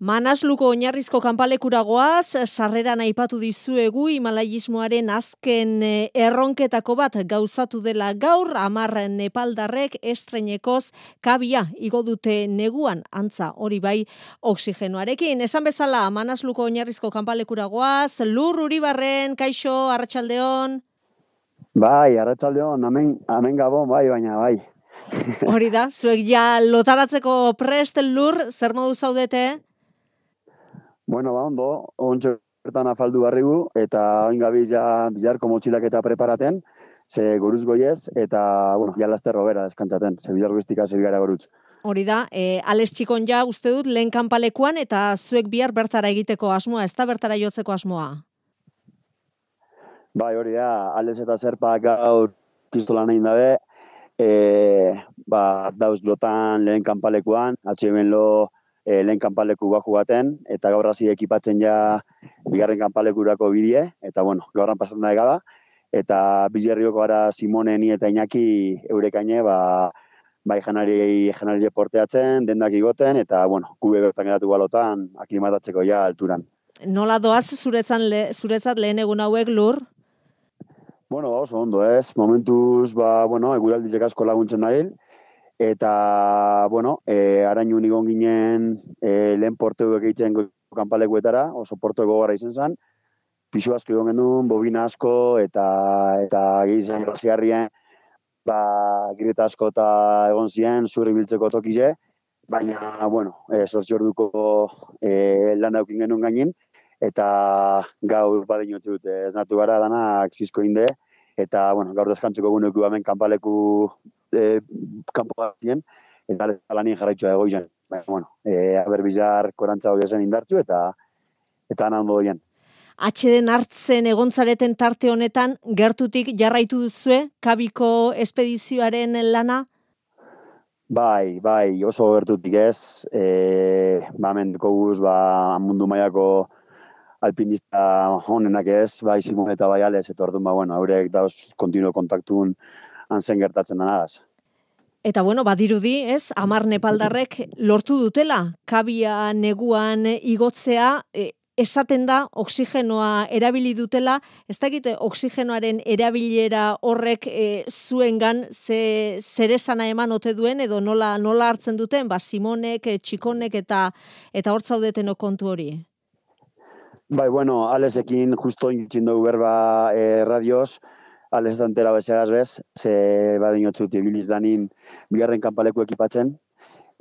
Manasluko oinarrizko kanpalekura goaz, sarreran aipatu dizuegu himalaiismoaren azken erronketako bat gauzatu dela gaur, 10 nepaldarrek estreinekoz kabia igo dute neguan, antza hori bai oxigenoarekin. Esan bezala, Manasluko oinarrizko kanpalekura goaz, Lur Uribarren, kaixo, arratsaldeon. Bai, arratsaldeon, hemen gabon, baina bai. Hori da, zuek ja lotaratzeko prest, Lur, zer modu zaudete? Bueno, ondo, ontsa bertan afaldu barrigu, eta oin gabiz ja bilarko motxilak eta preparaten, ze goruz goiez, eta, bueno, ja lasterro bera deskantzaten, ze bilar guztika ze bigara gorutz. Hori da, Ales Txikon ja uste dut lehen kanpalekuan, eta zuek bihar bertara egiteko asmoa, ez da bertara jotzeko asmoa? Bai, hori da, Ales eta Zerpa gaur pistolan egin dabe, dauz lotan lehen kanpalekuan, atxemen lo lehen kanpaleku baku baten, eta gaur hasi ekipatzen ja bigarren kanpalekurako bidie, eta bueno, gaurran pasatzen da egala, eta bilerrioko gara Simone, ni eta Iñaki eurekaine, bai janari porteatzen, dendak igoten, eta bueno, kube bertan geratu balotan, aklimatatzeko ja alturan. Nola doaz zuretzat lehen egun hauek, Lur? Bueno, oso ondo ez, momentuz, eguraldizek asko laguntzen dail, eta, arainun igon ginen lehen porteuek eitzen kanpalekuetara, oso porteu gogorra izen zen, pisu asko egon genuen, bobina asko, eta gizien graziarrien, gireta asko eta egon ziren, zurri biltzeko tokize, baina, sortzi orduko lan daukin genuen gainin, eta gaur badin utzi dute, ez natu gara danak zizko inde, eta, gaur deskantzeko guneku hemen kanpaleku kanpo gazien, eta lanien jarraitxua egoizen. Bizar korantza hori zen indartzu, eta anan doien. Atxeden hartzen egontzareten tarte honetan, gertutik jarraitu duzue, kabiko espedizioaren lana? Bai, oso gertutik ez. Mendeko guz, mundu mailako alpinista honenak ez, bai Simon eta bai Ales, eta orduan, haurek dauz kontinuo kontaktun anzen gertatzen denagaz. Eta badirudi, ez, 10 nepaldarrek lortu dutela, kabia neguan igotzea, esaten da, oxigenoa erabili dutela, ez dakite oxigenoaren erabilera horrek zuengan zer esana eman ote duen, edo nola hartzen duten, Simonek, Txikonek eta hor zaudeten kontu hori? Bai, Alesekin justo intzin dugu berba radioz, Ales dantera bezagaz bez, ze badin otzut ibiliz danin bigarren kanpaleku ekipatzen,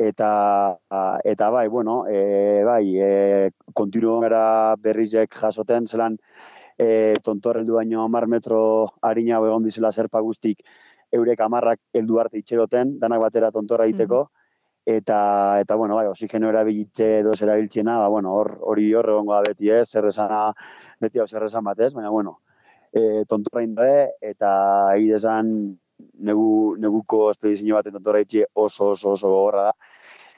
eta kontinuo gara berrizek jasoten, zelan tontorreldu baino 10 metro harina egon dizela Zerpa guztik eurek 10ak heldu arte itxeroten, danak batera tontorra egiteko, eta oxigeno erabilitze edo erabiltzena, hori egongo da beti ez, beti hau zerrezan batez, baina tontorra indae, eta egidezan neguko espedizio baten tontorra itxe oso gogorra da,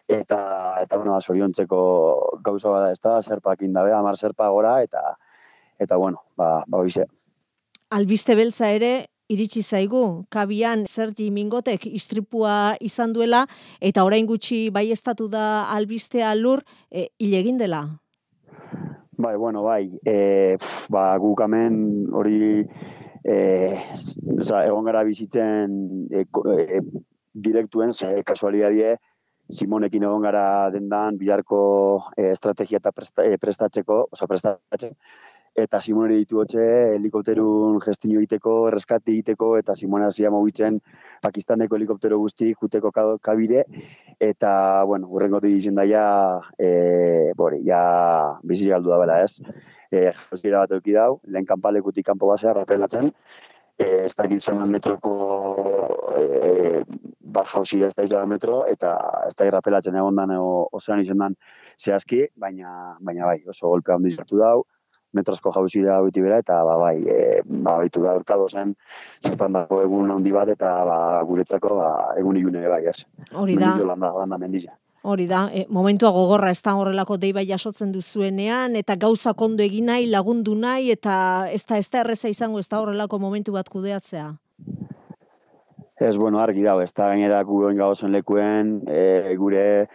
eta zoriontzeko gauza bada ez da, Zerpak indabe, 10 Zerpa gora, eta hoize. Albiste beltza ere, iritsi zaigu, kabian Sergi Mingotek istripua izan duela, eta orain gutxi baieztatu da albistea, Lur, hil egin dela. Bai, guk hemen hori egon gara bizitzen direktuen, kasualidadie, Simonekin egon gara dendan bilarko estrategia eta prestatzeko, eta Simone ditu hotxe helikopterun gestio egiteko, reskate egiteko, eta Simone hasia mugitzen Pakistaneko helikoptero guzti juteko kabire, eta, hurrengo dizen daia, bizi galdu da bela ez. Jauzira bat euki dau, lehen kanpalekutik kanpo basea rapelatzen, ez da egiten metroko jauzira ez da izan metro, eta ez da rapelatzen egon dan, ozean izan dan zehazki, baina oso golpea handi zartu dau, metrosko jauzira biti bera, eta baitu da urkado zen, Zerpan dago egun handi bat, eta guretzako egun ilune bai, ez. Hori da. Landa mendizia. Hori da, momentua gogorra ez da horrelako deiba jasotzen duzuenean, eta gauza kondo egin nahi, lagundu nahi, eta ez da erreza izango ez da horrelako momentu bat kudeatzea. Ez, argi dago, ez da gainera guen gauzen lekuen, gure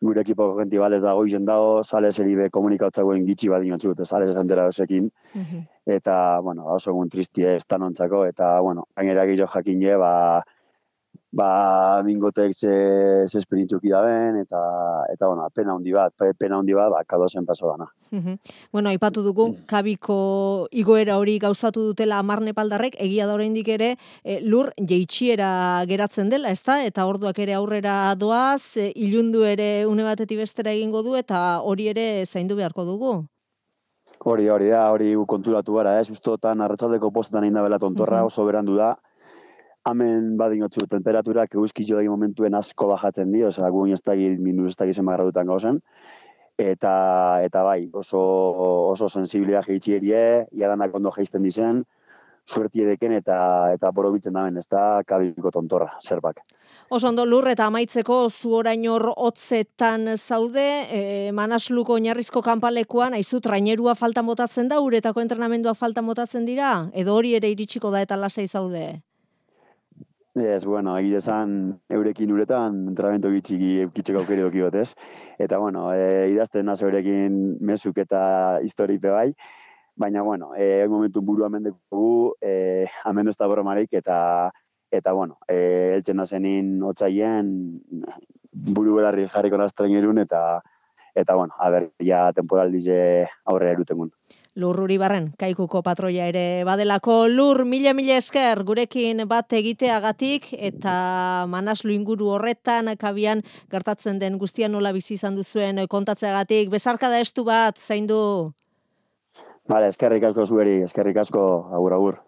gure ekipoko genti balez dago izen dago, sales eribe komunikatzagoen gitxi bat dinotxu, eta sales esantera osekin. Eta, bueno, oso egun tristie ez tanontzako, eta, bueno, gainera gero jakine, mingotek ze esperientzuki daben, eta bueno, pena handi bat, kadozen paso dana. Bueno, aipatu dugu, kabiko igoera hori gauzatu dutela 10 nepaldarrek, egia da oraindik ere lur jeitsiera geratzen dela, ezta? Eta orduak ere aurrera doaz, ilundu ere une batetik bestera egingo du, eta hori ere zaindu beharko dugu. Hori konturatu gara, ustotan arratsaldeko postetan egin da bela tontorra, oso berandu da. Hemen badinotzu temperaturak euskitxo dagi momentuen asko bajatzen di, osea, guin ez dagi, mindu ez dagi zenbagradutan gauzen. Eta bai, oso sensibilia jeitxierie, iadanak ondo jeisten dizen, suertie deken eta borobitzen daben, ez da kabiko tontorra, zerbak. Oso ondo lur eta amaitzeko zu orain hor hotzetan zaude, Manasluko oinarrizko kanpalekuan, aizu trainerua faltan botatzen da, uretako entrenamendua faltan botatzen dira, edo hori ere iritsiko da eta lasai zaude? Ez, bueno, egizan eurekin uretan entrenamento gitxeko aukeri doki batez. Eta, bueno, idazten naz eurekin mesuk eta historipe bai. Baina, bueno, momentu buru amendeko amen ez da bromarik eta bueno, eltzen nazenin otzaien buru belarri jarriko naztrenerun eta bueno, ja temporaldize aurrera erutengun. Lur Uribarren, Kaikuko patroia ere badelako. Lur, mila esker gurekin bat egiteagatik eta Manaslu inguru horretan kabian gertatzen den guztian nola bizi izan duzuen kontatzeagatik. Besarkada estu bat, zaindu. Vale, eskerrik asko zueri, eskerrik asko, agur.